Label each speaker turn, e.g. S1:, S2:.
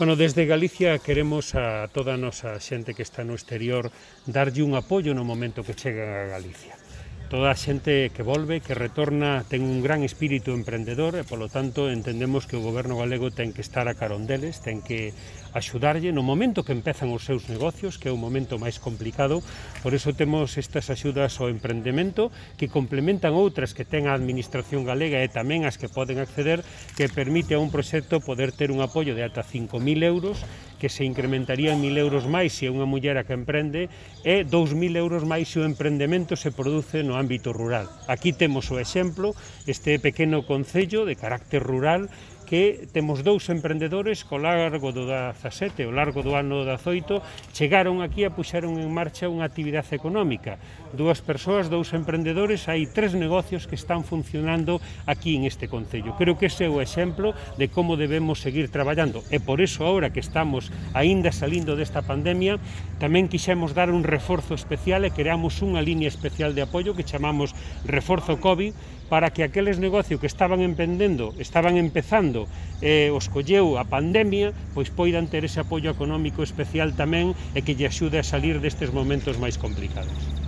S1: Bueno, desde Galicia queremos a toda a nosa xente que está no exterior darlle un apoio no momento que chega a Galicia. Toda a xente que volve, que retorna, ten un gran espírito emprendedor e, polo tanto, entendemos que o goberno galego ten que estar a carón deles, ten que axudarlle no momento que empezan os seus negocios, que é o momento máis complicado. Por iso temos estas axudas ao emprendemento que complementan outras que ten a Administración galega e tamén as que poden acceder, que permite a un proxecto poder ter un apoio de ata 5.000 euros, que se incrementaría en 1.000 euros máis se é unha muller a que emprende e 2.000 euros máis se o emprendemento se produce no ámbito rural. Aquí temos o exemplo, este pequeno concello de carácter rural, que temos dous emprendedores co largo do 17 e o largo do ano 18 chegaron aquí e puxeron en marcha unha actividade económica. Dúas persoas, dous emprendedores, hai 3 negocios que están funcionando aquí en este concello. Creo que ese é o exemplo de como debemos seguir traballando e por iso agora que estamos aínda salindo desta pandemia tamén quixemos dar un reforzo especial e creamos unha línea especial de apoio que chamamos Reforzo COVID para que aqueles negocios que estaban empezando os colleu a pandemia, pois poidan ter ese apoio económico especial tamén e que lle axude a salir destes momentos máis complicados.